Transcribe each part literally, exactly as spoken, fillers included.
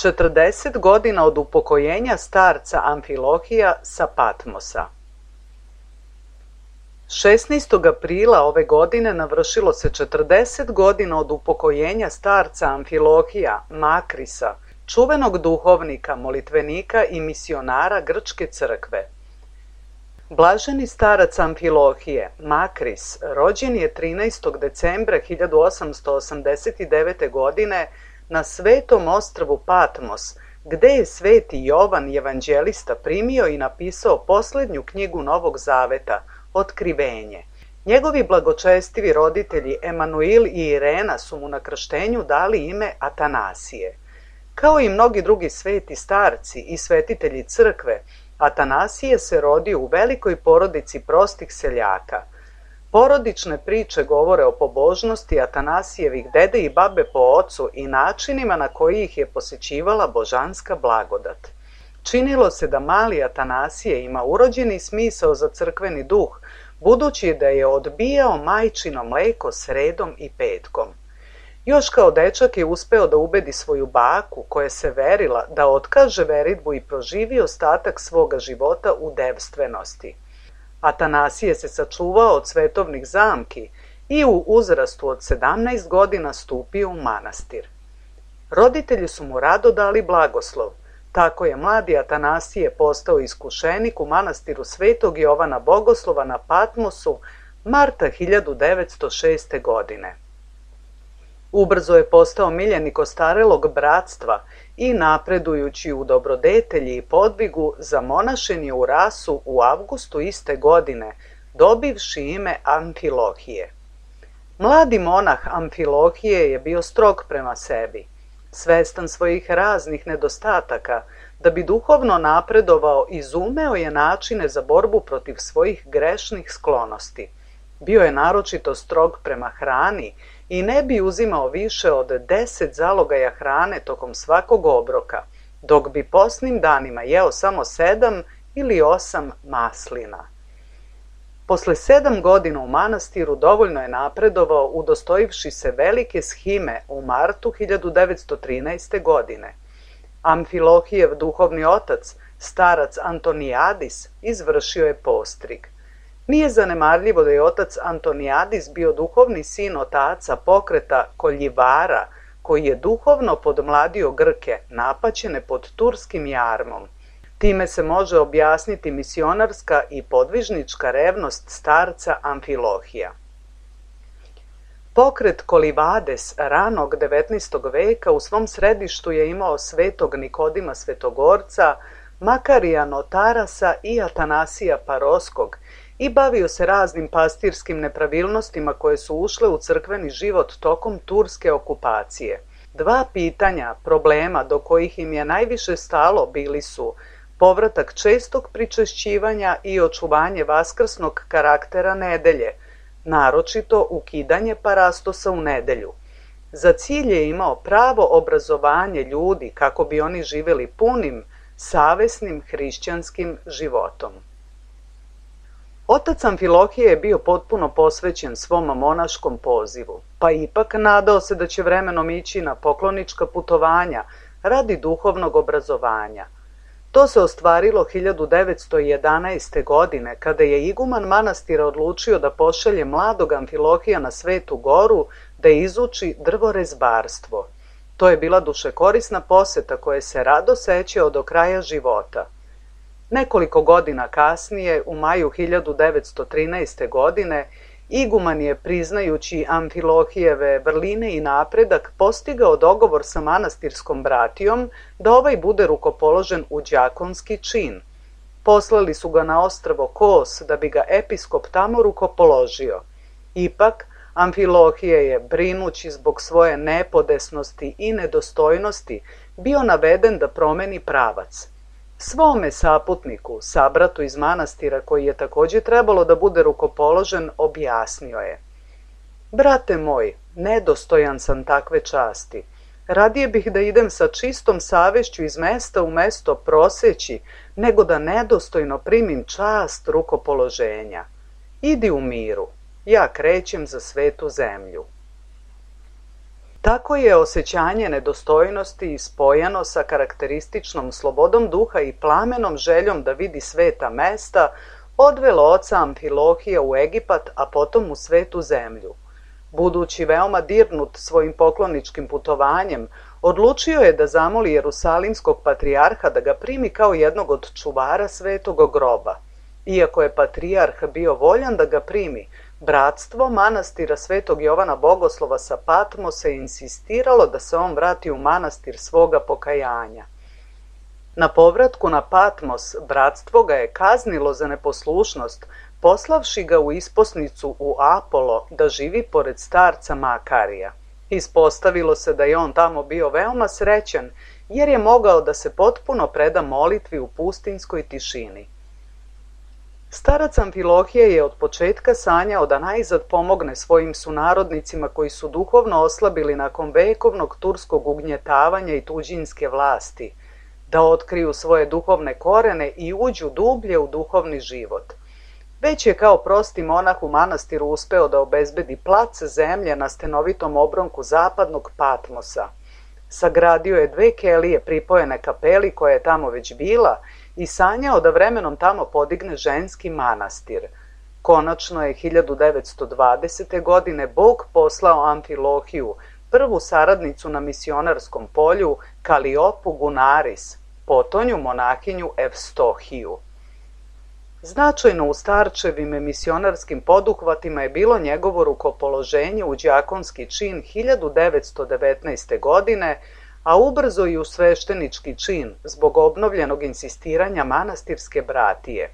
četrdeset godina od upokojenja starca Amfilohija sa Patmosa. šesnaestog aprila ove godine navršilo se četrdeset godina od upokojenja starca Amfilohija Makrisa, čuvenog duhovnika, molitvenika i misionara Grčke crkve. Blaženi starac Amfilohije, Makris, rođen je trinaestog decembra hiljadu osamsto osamdeset devete. godine na svetom ostrvu Patmos, gde je sveti Jovan evanđelista primio i napisao poslednju knjigu Novog Zaveta, Otkrivenje. Njegovi blagočestivi roditelji Emanuil i Irena su mu na krštenju dali ime Atanasije. Kao i mnogi drugi sveti starci i svetitelji crkve, Atanasije se rodio u velikoj porodici prostih seljaka. Porodične priče govore o pobožnosti Atanasijevih dede i babe po ocu i načinima na koji ih je posećivala božanska blagodat. Činilo se da mali Atanasije ima urođeni smisao za crkveni duh, budući da je odbijao majčino mleko sredom i petkom. Još kao dečak je uspeo da ubedi svoju baku, koja se verila, da otkaže veridbu i proživi ostatak svoga života u devstvenosti. Atanasije se sačuvao od svetovnih zamki i u uzrastu od sedamnaest godina stupio u manastir. Roditelji su mu rado dali blagoslov, tako je mladi Atanasije postao iskušenik u manastiru Svetog Jovana Bogoslova na Patmosu marta hiljadu devetsto šeste. godine. Ubrzo je postao miljenik ostarelog bratstva i napredujući u dobrodetelji i podvigu zamonašen je u Rasu u avgustu iste godine, dobivši ime Amfilohije. Mladi monah Amfilohije je bio strog prema sebi, svestan svojih raznih nedostataka. Da bi duhovno napredovao, izumeo je načine za borbu protiv svojih grešnih sklonosti. Bio je naročito strog prema hrani i ne bi uzimao više od deset zalogaja hrane tokom svakog obroka, dok bi posnim danima jeo samo sedam ili osam maslina. Posle sedam godina u manastiru dovoljno je napredovao, udostojivši se velike shime u martu hiljadu devetsto trinaeste. godine. Amfilohijev duhovni otac, starac Antonijadis, izvršio je postrig. Nije zanemarljivo da je otac Antonijadis bio duhovni sin otaca pokreta Koljivara, koji je duhovno podmladio Grke, napaćene pod turskim jarmom. Time se može objasniti misionarska i podvižnička revnost starca Amfilohija. Pokret Kolivades ranog devetnaestog veka u svom središtu je imao svetog Nikodima Svetogorca, Makarija Notarasa i Atanasija Paroskog i bavio se raznim pastirskim nepravilnostima koje su ušle u crkveni život tokom turske okupacije. Dva pitanja, problema do kojih im je najviše stalo bili su povratak čestog pričešćivanja i očuvanje vaskrsnog karaktera nedelje, naročito ukidanje parastosa u nedelju. Za cilj je imao pravo obrazovanje ljudi kako bi oni živjeli punim, savesnim hrišćanskim životom. Otac Amfilohije je bio potpuno posvećen svom monaškom pozivu, pa ipak nadao se da će vremenom ići na poklonička putovanja radi duhovnog obrazovanja. To se ostvarilo hiljadu devetsto jedanaeste. godine, kada je iguman manastira odlučio da pošalje mladog Amfilohija na Svetu Goru da izuči drvorezbarstvo. To je bila dušekorisna poseta koje se rado sećao do kraja života. Nekoliko godina kasnije, u maju hiljadu devetsto trinaeste. godine, iguman je, priznajući Amfilohijeve vrline i napredak, postigao dogovor sa manastirskom bratijom da ovaj bude rukopoložen u đakonski čin. Poslali su ga na ostrvo Kos da bi ga episkop tamo rukopoložio. Ipak, Amfilohije je, brinući zbog svoje nepodesnosti i nedostojnosti, bio naveden da promeni pravac. Svome saputniku, sabratu iz manastira koji je također trebalo da bude rukopoložen, objasnio je: "Brate moj, nedostojan sam takve časti. Radije bih da idem sa čistom savešću iz mesta u mesto proseći, nego da nedostojno primim čast rukopoloženja. Idi u miru, ja krećem za svetu zemlju." Tako je osjećanje nedostojnosti spojeno sa karakterističnom slobodom duha i plamenom željom da vidi sveta mesta odvelo oca Amfilohija u Egipat, a potom u svetu zemlju. Budući veoma dirnut svojim pokloničkim putovanjem, odlučio je da zamoli Jerusalimskog patrijarha da ga primi kao jednog od čuvara svetog groba. Iako je patrijarh bio voljan da ga primi, bratstvo manastira Svetog Jovana Bogoslova sa Patmosa je insistiralo da se on vrati u manastir svoga pokajanja. Na povratku na Patmos bratstvo ga je kaznilo za neposlušnost, poslavši ga u isposnicu u Apolo da živi pored starca Makarija. Ispostavilo se da je on tamo bio veoma srećan, jer je mogao da se potpuno preda molitvi u pustinskoj tišini. Starac Amfilohije je od početka sanjao da najzad pomogne svojim sunarodnicima koji su duhovno oslabili nakon vekovnog turskog ugnjetavanja i tuđinske vlasti, da otkriju svoje duhovne korene i uđu dublje u duhovni život. Već je kao prosti monah u manastiru uspeo da obezbedi plac zemlje na stenovitom obronku zapadnog Patmosa. Sagradio je dve kelije pripojene kapeli koja je tamo već bila i sanjao da vremenom tamo podigne ženski manastir. Konačno je hiljadu devetsto dvadesete. godine Bog poslao Amfilohiju, prvu saradnicu na misionarskom polju, Kaliopu Gunaris, potonju monahinju Evstohiju. Značajno u starčevim misionarskim poduhvatima je bilo njegovo rukopoloženje u đakonski čin hiljadu devetsto devetnaeste. godine, a ubrzo i u sveštenički čin zbog obnovljenog insistiranja manastirske bratije.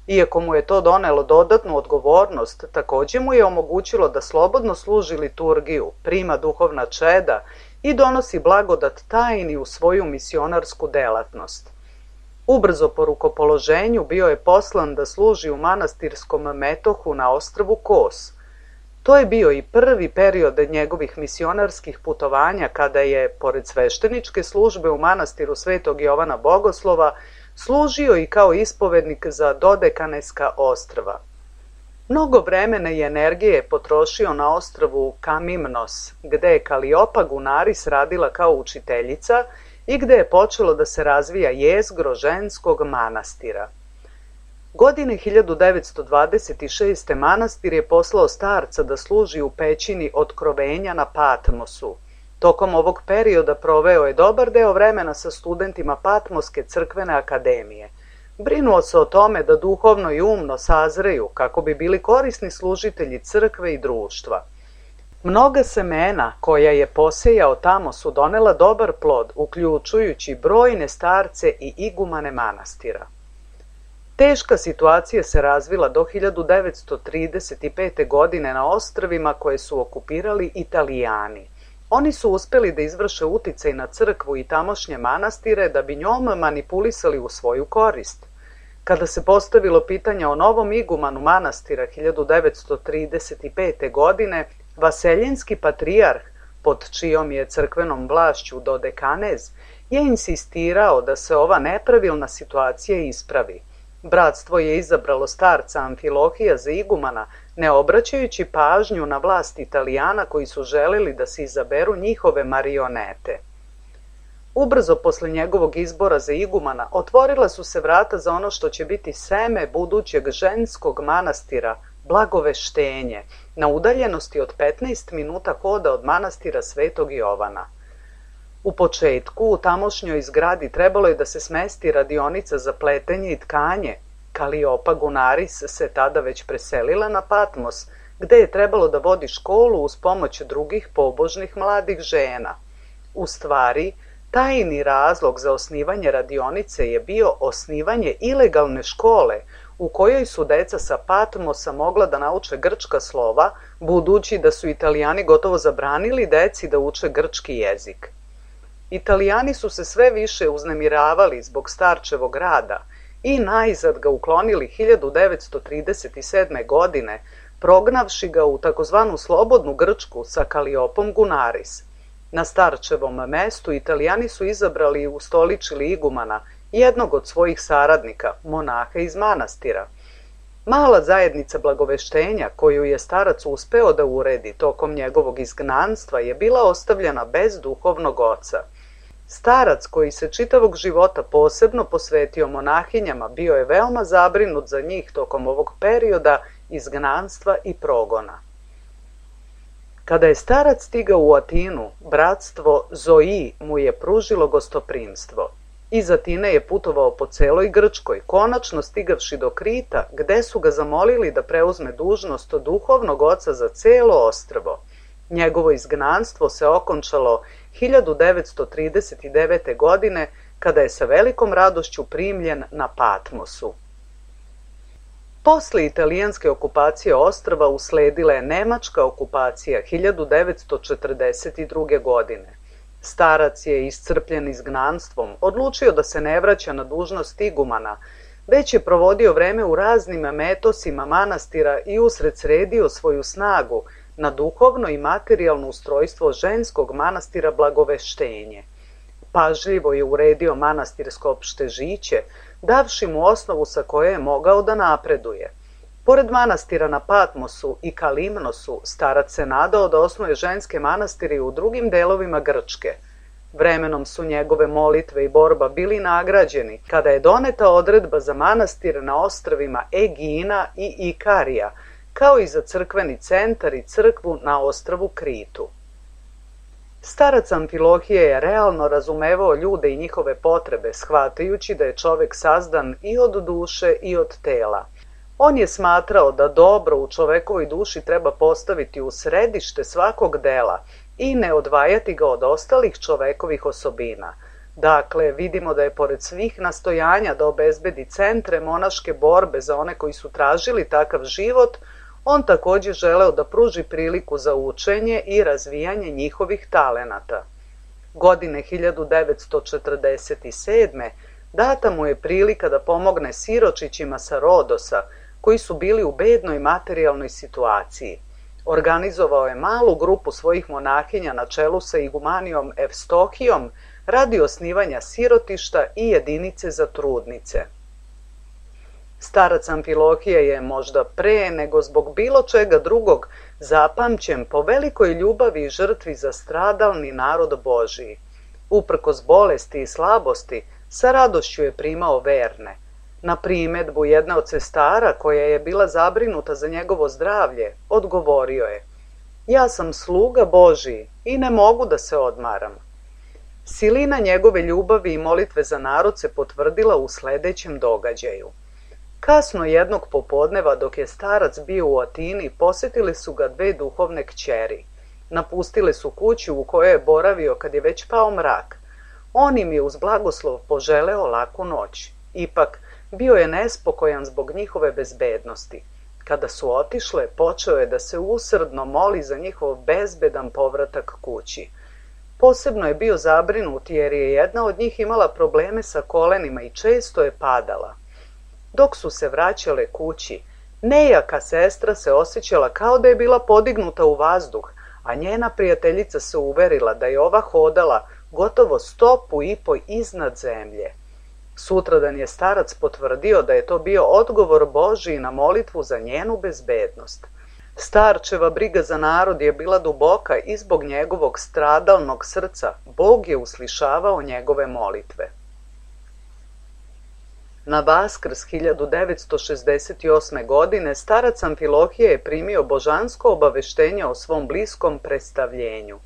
Iako mu je to donelo dodatnu odgovornost, takođe mu je omogućilo da slobodno služi liturgiju, prima duhovna čeda i donosi blagodat tajni u svoju misionarsku delatnost. Ubrzo po rukopoloženju bio je poslan da služi u manastirskom metohu na ostrvu Kos. To je bio i prvi period njegovih misionarskih putovanja kada je, pored svešteničke službe u manastiru Svetog Jovana Bogoslova, služio i kao ispovednik za Dodekaneska ostrva. Mnogo vremena i energije je potrošio na ostrvu Kamimnos, gde je Kaliopa Gunaris radila kao učiteljica i gde je počelo da se razvija jezgro ženskog manastira. Godine hiljadu devetsto dvadeset šeste. manastir je poslao starca da služi u pećini Otkrovenja na Patmosu. Tokom ovog perioda proveo je dobar deo vremena sa studentima Patmoske crkvene akademije. Brinuo se o tome da duhovno i umno sazreju kako bi bili korisni služitelji crkve i društva. Mnoga semena koja je posejao tamo su donela dobar plod, uključujući brojne starce i igumane manastira. Teška situacija se razvila do hiljadu devetsto trideset pete. godine na ostrvima koje su okupirali Italijani. Oni su uspeli da izvrše uticaj na crkvu i tamošnje manastire da bi njom manipulisali u svoju korist. Kada se postavilo pitanje o novom igumanu manastira hiljadu devetsto trideset pete. godine, Vaseljenski patrijarh, pod čijom je crkvenom vlašću Dodekanez, je insistirao da se ova nepravilna situacija ispravi. Bratstvo je izabralo starca Amfilohija za igumana, ne obraćajući pažnju na vlast Italijana koji su želeli da se izaberu njihove marionete. Ubrzo posle njegovog izbora za igumana otvorila su se vrata za ono što će biti seme budućeg ženskog manastira, Blagoveštenje, na udaljenosti od petnaest minuta hoda od manastira Svetog Jovana. U početku u tamošnjoj zgradi trebalo je da se smesti radionica za pletenje i tkanje. Kaliopa Gunaris se tada već preselila na Patmos, gde je trebalo da vodi školu uz pomoć drugih pobožnih mladih žena. U stvari, tajni razlog za osnivanje radionice je bio osnivanje ilegalne škole u kojoj su deca sa Patmosa mogla da nauče grčka slova, budući da su Italijani gotovo zabranili deci da uče grčki jezik. Italijani su se sve više uznemiravali zbog starčevog rada i najzad ga uklonili hiljadu devetsto trideset sedme. godine, prognavši ga u takozvanu slobodnu Grčku sa Kaliopom Gunaris. Na starčevom mestu Italijani su izabrali i ustoličili igumana, jednog od svojih saradnika, monaha iz manastira. Mala zajednica Blagoveštenja, koju je starac uspeo da uredi tokom njegovog izgnanstva, je bila ostavljena bez duhovnog oca. Starac, koji se čitavog života posebno posvetio monahinjama, bio je veoma zabrinut za njih tokom ovog perioda izgnanstva i progona. Kada je starac stigao u Atinu, bratstvo Zoji mu je pružilo gostoprimstvo. Iz Atine je putovao po celoj Grčkoj, konačno stigavši do Krita, gde su ga zamolili da preuzme dužnost duhovnog oca za celo ostrvo. Njegovo izgnanstvo se okončalo hiljadu devetsto trideset devete. godine, kada je sa velikom radošću primljen na Patmosu. Posle italijanske okupacije ostrva usledila je nemačka okupacija hiljadu devetsto četrdeset druge. godine. Starac je, iscrpljen izgnanstvom, odlučio da se ne vraća na dužnost igumana, već je provodio vreme u raznim metosima manastira i usred sredio svoju snagu na duhovno i materijalno ustrojstvo ženskog manastira Blagoveštenje. Pažljivo je uredio manastirsko opštežiće, davši mu osnovu sa koje je mogao da napreduje. Pored manastira na Patmosu i Kalimnosu, starac se nadao da osnuje ženske manastire u drugim delovima Grčke. Vremenom su njegove molitve i borba bili nagrađeni kada je doneta odredba za manastir na ostrvima Egina i Ikarija, kao i za crkveni centar i crkvu na ostrvu Kritu. Starac Amfilohije je realno razumevao ljude i njihove potrebe, shvatajući da je čovek sazdan i od duše i od tela. On je smatrao da dobro u čovekovoj duši treba postaviti u središte svakog dela i ne odvajati ga od ostalih čovekovih osobina. Dakle, vidimo da je pored svih nastojanja da obezbedi centre monaške borbe za one koji su tražili takav život, on također želeo da pruži priliku za učenje i razvijanje njihovih talenata. Godine hiljadu devetsto četrdeset sedme. data mu je prilika da pomogne siročićima sa Rodosa, koji su bili u bednoj materijalnoj situaciji. Organizovao je malu grupu svojih monahinja na čelu sa igumanijom Evstohijom radi osnivanja sirotišta i jedinice za trudnice. Starac Amfilohije je možda pre nego zbog bilo čega drugog zapamćen po velikoj ljubavi i žrtvi za stradalni narod Božiji. Uprkos bolesti i slabosti, sa radošću je primao verne. Na primedbu jedne od sestara, koja je bila zabrinuta za njegovo zdravlje, odgovorio je: "Ja sam sluga Božiji i ne mogu da se odmaram." Silina njegove ljubavi i molitve za narod se potvrdila u sledećem događaju. Kasno jednog popodneva, dok je starac bio u Atini, posetile su ga dve duhovne kćeri. Napustile su kuću u kojoj je boravio kad je već pao mrak. On im je uz blagoslov poželeo laku noć. Ipak, bio je nespokojan zbog njihove bezbednosti. Kada su otišle, počeo je da se usrdno moli za njihov bezbedan povratak kući. Posebno je bio zabrinut jer je jedna od njih imala probleme sa kolenima i često je padala. Dok su se vraćale kući, nejaka sestra se osjećala kao da je bila podignuta u vazduh, a njena prijateljica se uverila da je ova hodala gotovo stopu i po iznad zemlje. Sutradan je starac potvrdio da je to bio odgovor Božiji na molitvu za njenu bezbednost. Starčeva briga za narod je bila duboka i zbog njegovog stradalnog srca Bog je uslišavao njegove molitve. Na Vaskrs hiljadu devetsto šezdeset osme. godine starac Amfilohije je primio božansko obaveštenje o svom bliskom predstavljenju.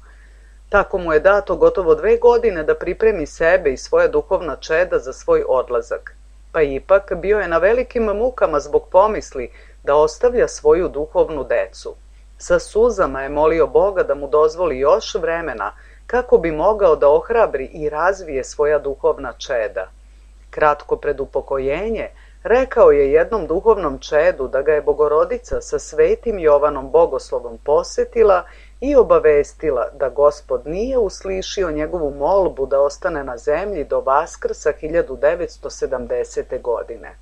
Tako mu je dato gotovo dve godine da pripremi sebe i svoja duhovna čeda za svoj odlazak. Pa ipak bio je na velikim mukama zbog pomisli da ostavlja svoju duhovnu decu. Sa suzama je molio Boga da mu dozvoli još vremena kako bi mogao da ohrabri i razvije svoja duhovna čeda. Kratko pred upokojenje, rekao je jednom duhovnom čedu da ga je Bogorodica sa svetim Jovanom Bogoslovom posetila i obavestila da Gospod nije uslišio njegovu molbu da ostane na zemlji do Vaskrsa hiljadu devetsto sedamdesete. godine.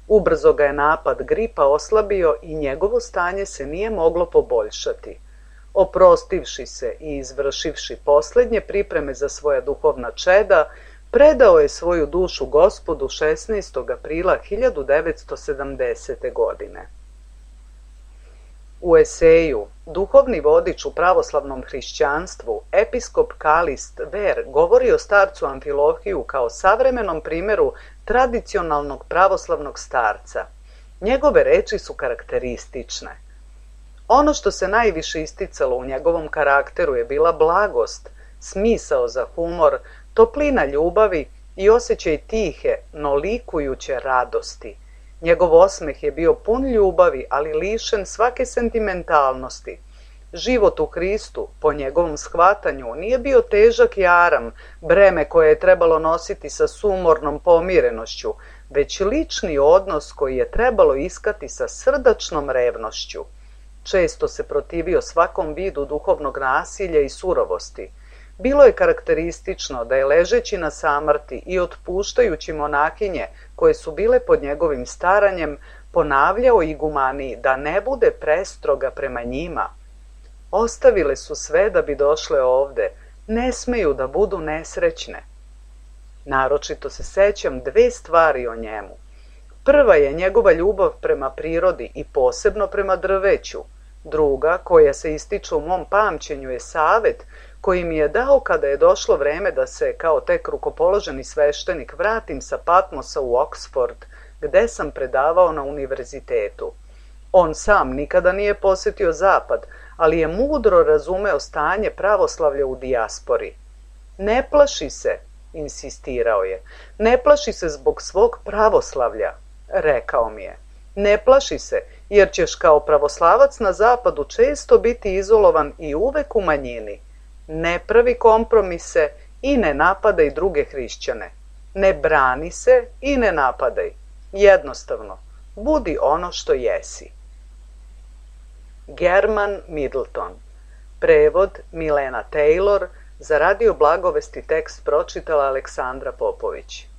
Ubrzo ga je napad gripa oslabio i njegovo stanje se nije moglo poboljšati. Oprostivši se i izvršivši poslednje pripreme za svoja duhovna čeda, predao je svoju dušu Gospodu šesnaestog aprila hiljadu devetsto sedamdesete. godine. U eseju "Duhovni vodič u pravoslavnom hrišćanstvu" episkop Kalist Ver govori o starcu Amfilohiju kao savremenom primjeru tradicionalnog pravoslavnog starca. Njegove reči su karakteristične. Ono što se najviše isticalo u njegovom karakteru je bila blagost, smisao za humor, toplina ljubavi i osjećaj tihe, no likujuće radosti. Njegov osmeh je bio pun ljubavi, ali lišen svake sentimentalnosti. Život u Hristu, po njegovom shvatanju, nije bio težak jaram, breme koje je trebalo nositi sa sumornom pomirenošću, već lični odnos koji je trebalo iskati sa srdačnom revnošću. Često se protivio svakom vidu duhovnog nasilja i surovosti. Bilo je karakteristično da je ležeći na samrti i otpuštajući monahinje koje su bile pod njegovim staranjem, ponavljao igumaniji da ne bude prestroga prema njima. Ostavile su sve da bi došle ovde, ne smeju da budu nesrećne. Naročito se sećam dve stvari o njemu. Prva je njegova ljubav prema prirodi i posebno prema drveću. Druga, koja se ističe u mom pamćenju, je savet koji mi je dao kada je došlo vreme da se, kao tek rukopoloženi sveštenik, vratim sa Patmosa u Oxford, gde sam predavao na univerzitetu. On sam nikada nije posetio Zapad, ali je mudro razumeo stanje pravoslavlja u dijaspori. Ne plaši se, insistirao je, ne plaši se zbog svog pravoslavlja, rekao mi je. Ne plaši se, jer ćeš kao pravoslavac na Zapadu često biti izolovan i uvek u manjini. Ne pravi kompromise i ne napadaj druge hrišćane. Ne brani se i ne napadaj. Jednostavno, budi ono što jesi. German Middleton. Prevod Milena Taylor. Za Radio Blagovesti tekst pročitala Aleksandra Popović.